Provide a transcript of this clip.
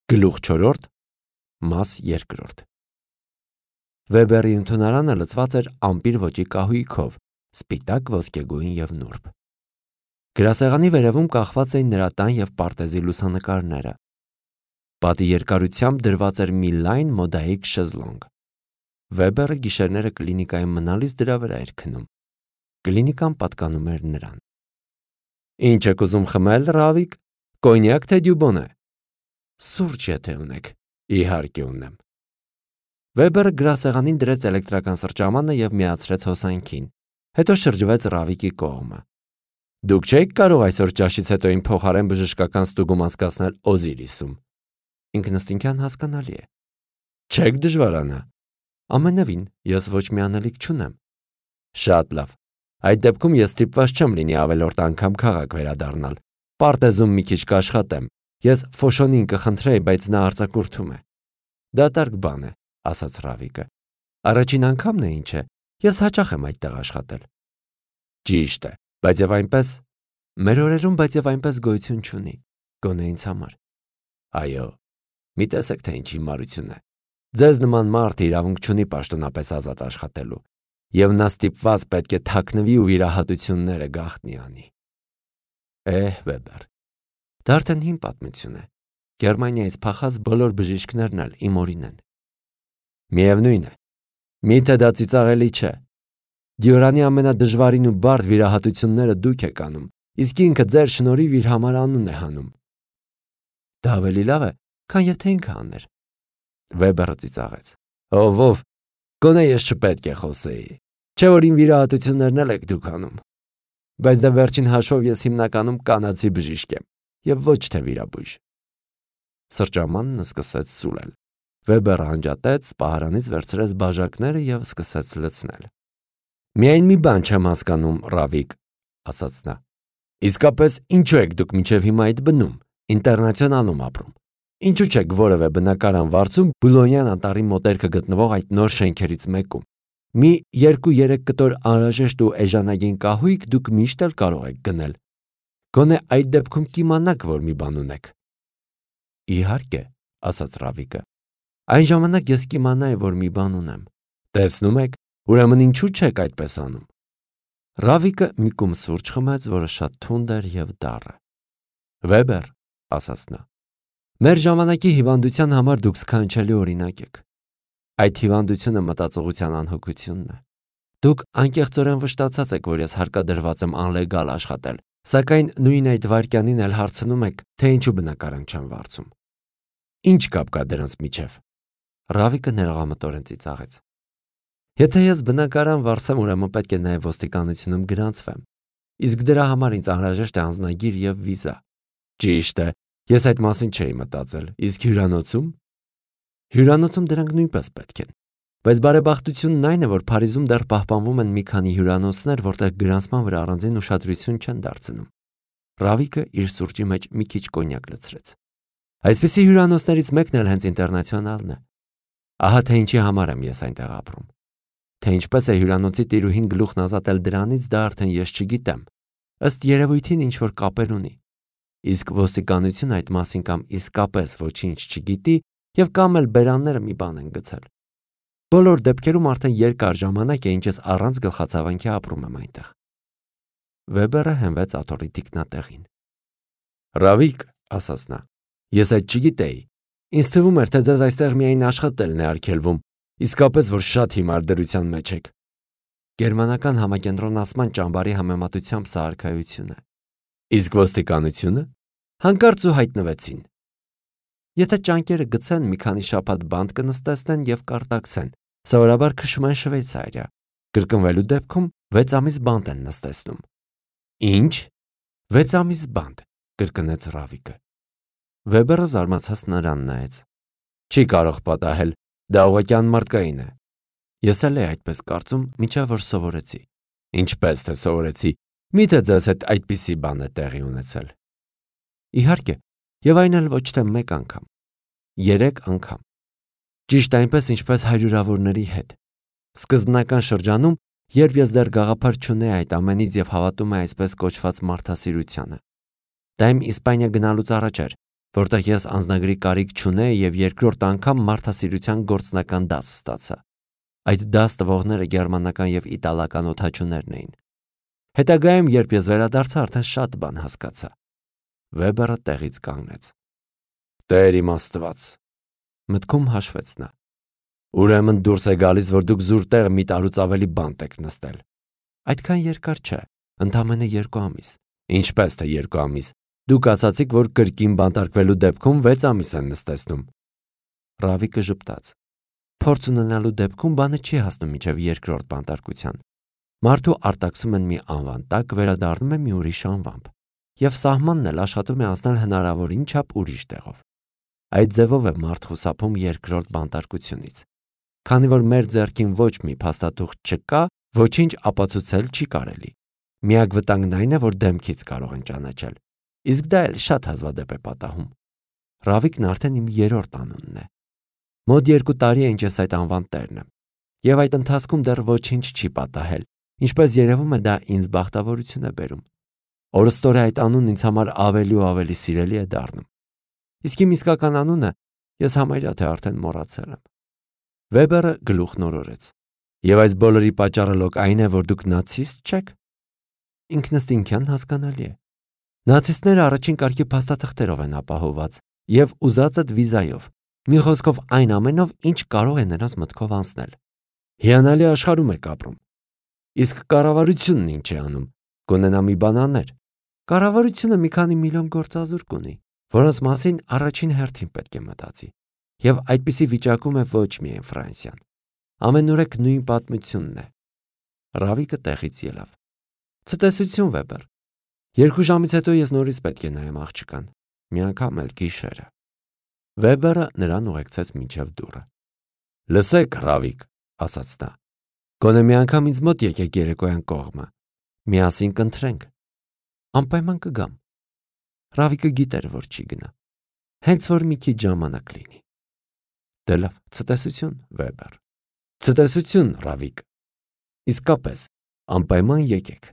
Գլուխ 4, մաս 2։ Վեբերի ընդունարանը լցված էր ամպիր ոճի կահույքով, սպիտակ, ոսկեգույն և նուրբ։ Գրասեղանի վերևում կախված էին նրա տան և պարտեզի լուսանկարները։ Պատի երկարությամբ դրված էր մի լայն մոդայիկ շեզլոնգ։ Վեբերը գիշերները կլինիկայում մնալիս դրա վրա էր քնում։ Կլինիկան պատկանում էր նրան։ Ինչ եք ուզում խմել, Ռավիկ, կոնյակ թե դյուբոնե։ Սուրճ եթե ունեք, իհարկե ունեմ։ Վեբերը գրասեղանին դրեց էլեկտրական սրճամանը և միացրեց հոսանքին, հետո շրջվեց Ռավիկի կողմը։ Դուք չեք կարող այսօր ճաշից հետո իմ փոխարեն բժշկական ստուգում անցկացնել Օզիրիսում։ Ինքնըստինքյան հասկանալի է։ Չեք դժվարանա։ Ամենևին, ես ոչ մի անելիք չունեմ։ Շատ լավ։ Այդ դեպքում ես ստիպված չեմ լինի ավելորդ անգամ քաղաք վերադառնալ։ Պարտեզում մի քիչ կաշխատեմ։ Ես Ֆոշոնին կխնդրեի, բայց նա արձակուրդում է։ Դատարկ բան է, ասաց Ռավիկը։ Առաջին անգամն է ինչ է։ Ես հաճախ եմ այդտեղ աշխատել։ Ճիշտ է, բայց եւ այնպես մեր օրերում բայց եւ այնպես գոյություն չունի, գոնե ինձ համար։ Այո, մի տեսեք թե ինչ հիմարություն է։ Ձեզ նման մարդ իրավունք չունի պաշտոնապես ազատ աշխատելու, եւ նա ստիպված պետք է թաքնվի ու վիրահատությունները գաղտնի անի։ Վեբեր, դա արդեն հին պատմություն է։ Գերմանիայից փախած բոլոր բժիշկներն էլ իմ օրին են։ Միևնույն է, միթե դա ծիծաղելի չէ։ Դյուրանի ամենադժվարին ու բարդ վիրահատությունները դուք եք անում, իսկ ինքը ձեր շնորհիվ իր համար անուն է հանում։ Դա ավելի լավ է, քան եթե ինքը աներ։ Վեբերը ծիծաղեց։ Ով, գոնե ես չպետք է խոսեի։ Չէ՞ որ իմ վիրահատություններն էլ եք դուք անում։ Բայց դա վերջին հաշվով ես հիմնականում կանացի բժիշկ եմ, եւ ոչ թե վիրաբույժ։ Սրճամանն սկսեց սուլել։ Վեբերը անջատեց, պահարանից վերցրեց բաժակները եւ սկսեց լցնել։ Միայն մի բան չեմ հասկանում, Ռավիկ, ասաց նա։ Իսկապես ինչու եք դուք մինչև հիմա այդ բնում, ինտերնացիոնալում ապրում։ Ինչու չեք որևէ բնակարան վարձում Բուլոնյան անտառի մոտերքը գտնվող այդ նոր շենքերից մեկում։ Մի 2-3 կտոր անհրաժեշտ ու էժանագին կահույք դուք միշտ էլ կարող եք գնել։ Գոնե այդ դեպքում կիմանաք, որ մի բան ունեք։ Իհարկե, ասաց Ռավիկը։ Այն ժամանակ ես կիմանայի, որ մի բան ունեմ։ Տեսնում եք, ուրեմն ինչու չեք այդպես անում։ Ռավիկը մի կում սուրճ խմեց, որը շատ թունդ էր եւ դառը։ Վեբեր, ասաց նա, մեր ժամանակի հիվանդության համար դուք սքանչելի օրինակ եք։ Այդ հիվանդությունը մտածողության անհոգությունն է։ Դուք անկեղծորեն վշտացած եք, որ ես հարկադրված եմ անլեգալ աշխատել, սակայն նույն այդ վայրկյանին էլ հարցնում եք, թե ինչու բնակարան չեմ վարձում։ Ինչ կապ կա դրանց միջև։ Ռավիկը ներողամտորեն ծիծաղեց։ Եթե ես բնակարան վարձեմ, ուրեմն պետք է նաև ոստիկանությունում գրանցվեմ։ Իսկ դրա համար ինձ անհրաժեշտ է անձնագիր եւ վիզա։ Ճիշտ է, ես այդ մասին չէի մտածել։ Իսկ հյուրանոցում։ Հյուրանոցում դրանք նույնպես պետք են։ Բայց բարեբախտությունն այն է, որ Փարիզում դեռ պահպանվում են մի քանի հյուրանոցներ, որտեղ գրանցման վրա առանձին ուշադրություն չեն դարձնում։ Ռավիկը իր սուրճի մեջ մի քիչ կոնյակ լցրեց։ Այսպիսի հյուրանոցներից մեկն էլ հենց ինտերնացիոնալն է։ Ահա թե ինչի համար եմ ես այնտեղ ապրում։ Թե ինչպես է հյուրանոցի տիրուհին գլուխն ազատել դրանից, դա արդեն ես չգիտեմ։ Ըստ երևույթին ինչ-որ կապեր ունի։ Իսկ ոստիկանությունը այդ մասին կամ իսկապես ոչինչ չգիտի եւ կամ էլ բերանները մի բան են գցել։ Բոլոր դեպքերում արդեն երկար ժամանակ է, ինչ ես առանց գլխացավանքի ապրում եմ այնտեղ։ Վեբերը հենվեց աթոռի թիկնատեղին։ Ռավիկ, ասաց նա, ես այդ չգիտեի։ Ինձ թվում էր, թե ձեզ այստեղ միայն աշխատելն է արգելվում, իսկապես որ շատ հիմար դրության մեջ եք։ Գերմանական համակենտրոնացման ճամբարի համեմատությամբ սա արքայություն է։ Իսկ ոստիկանությունը հանկարծ ու հայտնվեցին։ Եթե ճանկերը գցեն, մի քանի շաբաթ բանտ կնստեցնեն եւ կարտաքսեն, սովորաբար քշում են Շվեյցարիա։ Կրկնվելու դեպքում 6 ամիս բանտ են նստեցնում։ Ինչ։ 6 ամիս բանտ, կրկնեց Ռավիկը։ Վեբերը զարմացած նրան նայեց։ Չի կարող պատահել, դա ուղղակի անմարդկային է։ Ես էլ այդպես կարծում, մինչև որ սովորեցի։ Ինչպես թե սովորեցի, միթե ձեզ հետ այդպիսի բան է տեղի ունեցել։ Իհարկե, եւ այն էլ ոչ թե մեկ անգամ, 3 անգամ։ Ճիշտ այնպես, ինչպես հարյուրավորների հետ։ Սկզբնական շրջանում, երբ ես դեռ գաղափար չունեի այդ ամենից եւ հավատում էի այսպես կոչված մարդասիրությանը։ Դա իմ Իսպանիա գնալուց առաջ էր, որտեղ ես անձնագրի կարիք չունեի եւ երկրորդ անգամ մարդասիրության գործնական դաս ստացա։ Այդ դաս տվողները գերմանական եւ իտալական օդաչուներն էին։ Հետագայում, երբ ես վերադարձա, արդեն շատ բան հասկացա։ Վեբերը տեղից կանգնեց։ Տեր իմ Աստված, մտքում հաշվեց նա։ Ուրեմն դուրս է գալիս, որ դուք զուր տեղ մի տարուց ավելի բանտ եք նստել։ Այդքան երկար չէ, ընդամենը 2 ամիս։ Ինչպես թե 2 ամիս։ Դուք ասացիք, որ կրկին բանտարկվելու դեպքում 6 ամիս են նստեցնում։ Ռավիկը ժպտաց։ Փորձ ունենալու դեպքում բանը չի հասնում մինչև երկրորդ բանտարկության։ Մարդու արտաքսում են մի անվան տակ, վերադառնում է մի ուրիշ անվամբ, եւ սահմանն էլ աշխատում է անցնել հնարավորին չափ ուրիշ տեղով։ Այդ ձևով է մարդ խուսափում երկրորդ բանտարկությունից։ Քանի որ մեր ձեռքին ոչ մի փաստաթուղթ չկա, ոչինչ ապացուցել չի կարելի։ Միակ վտանգն այն է, որ դեմքից կարող են ճանաչել։ Իսկ դա էլ շատ հազվադեպ է պատահում։ Ռավիկն արդեն իմ 3-րդ անունն է։ Մոտ 2 տարի է ինչ ես այդ անվան տերն եմ, եւ այդ ընթացքում դեռ ոչինչ չի պատահել, ինչպես երևում է դա ինձ բախտավորություն է բերում։ Օրըստօրե այդ անունն ինձ համար ավելի ու ավելի սիրելի է դառնում։ Իսկ իմ իսկական անունը ես համարյա թե արդեն մոռացել եմ։ Վեբերը գլուխ նորորեց։ Եվ այս բոլորի պատճառը լոկ այն է, որ դուք նացիստ չեք։ Ինքնըստինքյան հասկանալի է։ Նացիստները առաջին կարգի փաստաթղթերով են ապահովված եւ ուզածդ վիզայով։ Մի խոսքով այն ամենով, ինչ կարող է նրանց մտքով անցնել։ Հիանալի աշխարհում եք ապրում։ Իսկ կառավարությունն ինչ է անում։ Կունենա մի բան աներ։ Կառավարությունը մի քանի միլիոն գործազուրկ ունի, որոնց մասին առաջին հերթին պետք է մտածի։ Եվ այդպիսի վիճակում է ոչ միայն Ֆրանսիան։ Ամենուրեք նույն պատմությունն է։ Ռավիկը տեղից ելավ։ Ցտեսություն, Վեբեր։ 2 ժամից հետո ես նորից պետք է նայեմ աղջկան։ Մի անգամ էլ գիշերը։ Վեբերը նրան ուղեկցեց մինչև դուռը։ Լսեք, Ռավիկ, ասաց նա։ Գոնե մի անգամ ինձ մոտ եկեք երեկոյան կողմը։ Միասին կընթրենք։ Անպայման կգամ։ Ռավիկը գիտեր, որ չի գնա։ Հենց որ մի քիչ ժամանակ լինի։ Դե լավ, ցտեսություն, Վեբեր։ Ցտեսություն, Ռավիկ։ Իսկապես, անպայման եկեք։